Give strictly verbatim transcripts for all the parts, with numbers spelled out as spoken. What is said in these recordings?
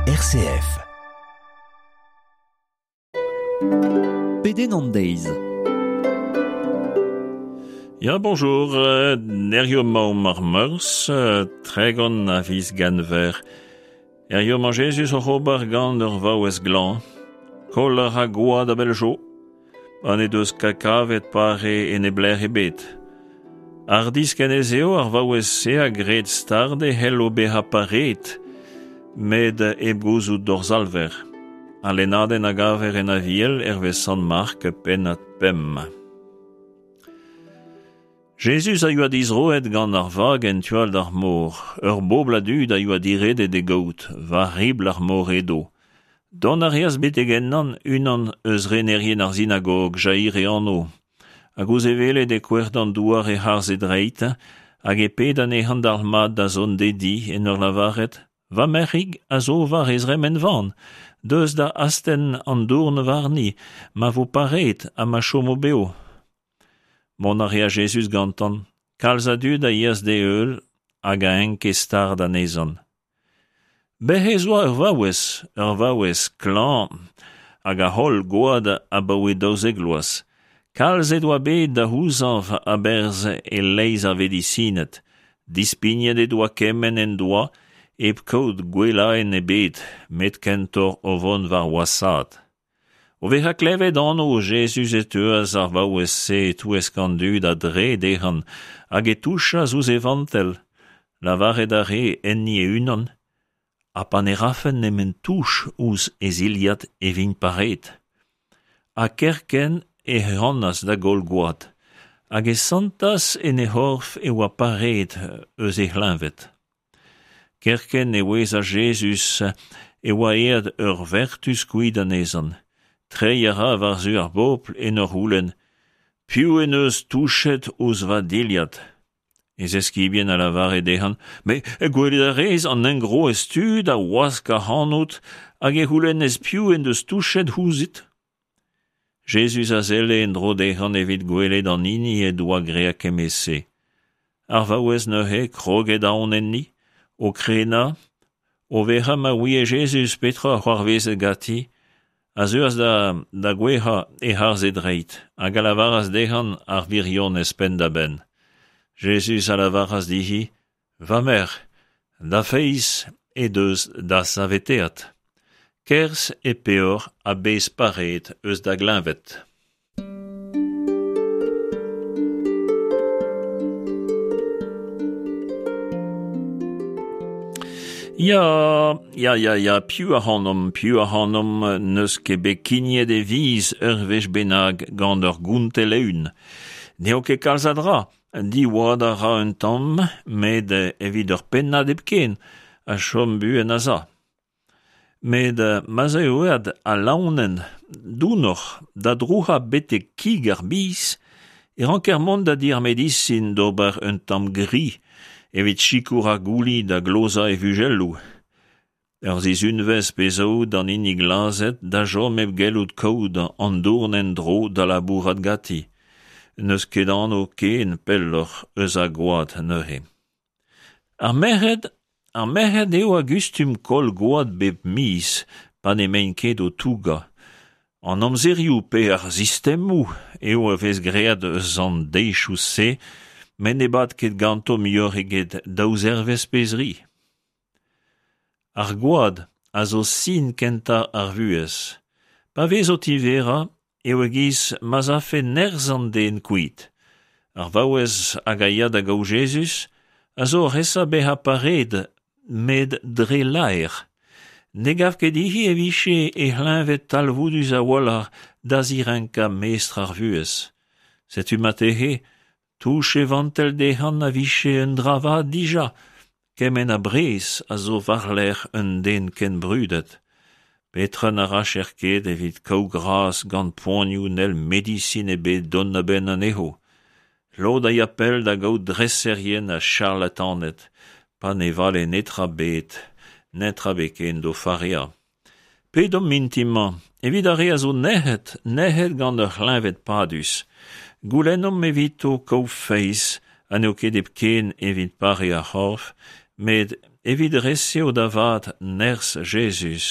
R C F. Pedenn an deiz. Ya, bonjour, Nerio maom ar meurs, tregon a viz ganver. Erio ma Jezuz oc'h ober gant ur vaouez glan, koll ar a goad a beljo, an e deus kakavet pare en e bler ebet. Ar disken ez eo ar vaouez se a gred stard e hello beha paret, med e gouzout d'or zalver. A lennadenn a gaver en aviel ervez Sant Mark pennad pemp. Jezuz a yoa dizroet gant ar vag en tual d'ar mor, ur bobl a dud a yoa diredet e gaout, war ribl ar mor edo. Dont a reas betek ennan unan eus renerien ar sinagog, Jair e anv, hag ouzh e welet e kouer d'an douar e harz e dreit, hag e ped anezhan d'ar mat da zont dedi en ur lavaret, va merc'hig a zo war e zremen van, deus da astenn an dourn warni, ma vo paret ha ma chomo beo. Mont a rea Jezuz gantan, kalz a dud a ias d'e eul hag a enke stard anezhan. Bec'h ez oa ur vaouez, ur vaouez klañv hag a holl goad abaoe daouzek vloaz. Kalz e doa bet da c'houzañv a-berzh e-leizh ar vedisined, dispignet e doa kement en doa hep kaout gwellaenn ebet, met kentoc'h o vont war wasaat. O vezañ klevet anv Jezuz e teuas ar vaouez-se e-touesk an dud a-dre dezhan hag e touchas ouzh e vantell, lavaret a re enni e-unan, ha pa ne rafen nemet touch ouzh e zilhad e vin paret. Ha kerkent e c'hanas da goll gwad, hag e santas en he c'horf e oa paret eus e c'hleñved. Kerkent e ouezas Jezuz e oa aet ur vertuz kuit anezhan. Treiñ a ra war-zu ar bobl en ur c'houlenn, piv en deus touchet ouzh va dilhad? E zeskibien a lavare dezhan, met gwelet a rez an engroez tud a wask ac'hanout hag e c'houlennez piv en deus touchet ouzhit? Jezuz a selle en-dro dezhan evit gwelet an hini e doa graet kement-se. Ar vaouez neuze kroget aon enni, o krenañ, o vezañ ma ouie Jezuz petra c'hoarvezet ganti, a zeuas da, da gouezhañ e-harz e dreid, hag a lavaras dezhan ar wirionez penn-da-benn. Jezuz a lavaras dezhi, va merc'h, da feiz he deus da saveteat. Kerzh e peoc'h ha bez pareet eus da gleñved. Ya, ya, ya, ya, piv ac'hanomp, piv ac'hanomp n'eus ket bet kignet e viz ur wech bennak gant ur gontell eeun. N'eo ket kalz a dra, diwad a ra un tamm, met evit ur pennad hepken, a chom buan a-za. Met ma'z eo aet al laonenn dounoc'h da drouc'hañ betek kig ar biz, e ranker mont da di ar medisin d'ober un tamm gri, evit sikour ar gouli da glozañ e vugelloù. Ur sizhunvezh pe zo d'an hini glazet da chom hep gellout kaout an dourn en-dro da labourat ganti. N'eus ket anv ken pelloc'h eus a goad neuze. Ar merc'hed, ar merc'hed eo a gustum koll gwad bep miz pa n'emaint ket o tougañ. An amzerioù pe ar sistemoù eo a vez graet eus an deizioù-se, met ne bad ket ganto muioc'h eget daou zervezh pe zri. Ar gwad a zo sin kentañ ar vuhez. Pa vez o tiverañ eo e-giz ma'z afe nerzh an den kuit. Ar vaouez hag a ya da gaout Jezuz a zo oc'h esa bezañ pareet, met dre laer. Ne gav ket dezhi e vije he c'hleñved talvoudus a-walc'h da zirenkañ mestr ar vuhez. Setu marteze, touch e vantell dezhan a vije un dra vat dija, kement a brez a zo war-lerc'h un den ken brudet. Petra na racher ket evit kaout gras gant poanioù n'hell medisin ebet dont a-benn anezho. Lod a ya pell da gaout dreserien ha charlataned, pa ne vale netra bet, netra bet ken d'o fareañ. Pedomp mintin-mañ, evit ar re a zo nec'het, nec'het gant ur c'hleñved padus. Goulennomp evito kaout feiz, ha n'eo ket hepken evit pare ar c'horf, met evit resev da vat nerzh Jezuz,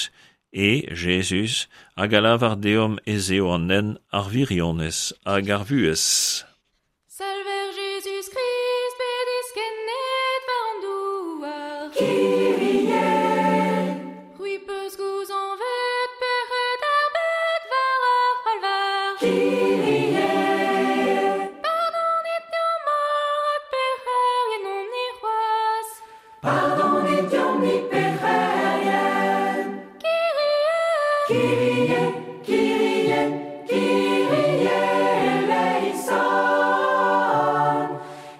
e Jezuz hag a lavar deomp ez eo an hent, ar wirionez hag ar vuhez. Salver Jezuz-Krist bet diskennet war an douar. Kyrie, C'hwi peus gouzañvet pec'hed ar bed war ar c'halvar. Kyrie, Pardonit deomp holl rak pec'herien omp-ni c'hoazh. pardonit deomp-ni pec'herien. Kyrie, Kyrie, Kyrie, Kyrie eleison.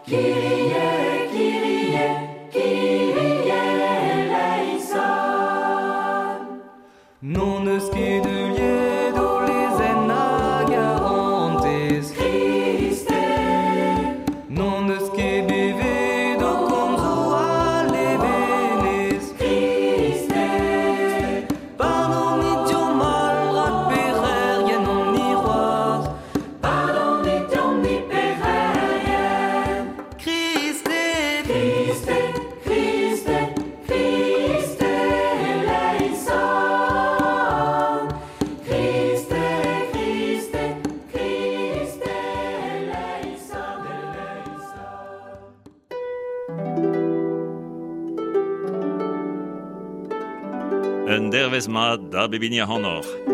Kyrie, Kyrie, Kyrie eleison. N'hon eus ket heuliet o lezenn hag karantez. Christe, N'hon eus ket bevet o komzoù a levenez. Christe, Pardonit deomp holl rak pec'herien omp-ni c'hoazh. pardonit deomp-ni pec'herien. Christe, Christe, Christe, Christe eleison. Christe, Christe, Christe eleison, eleison. Un dervezh mat da bep hini ac'hanoc'h.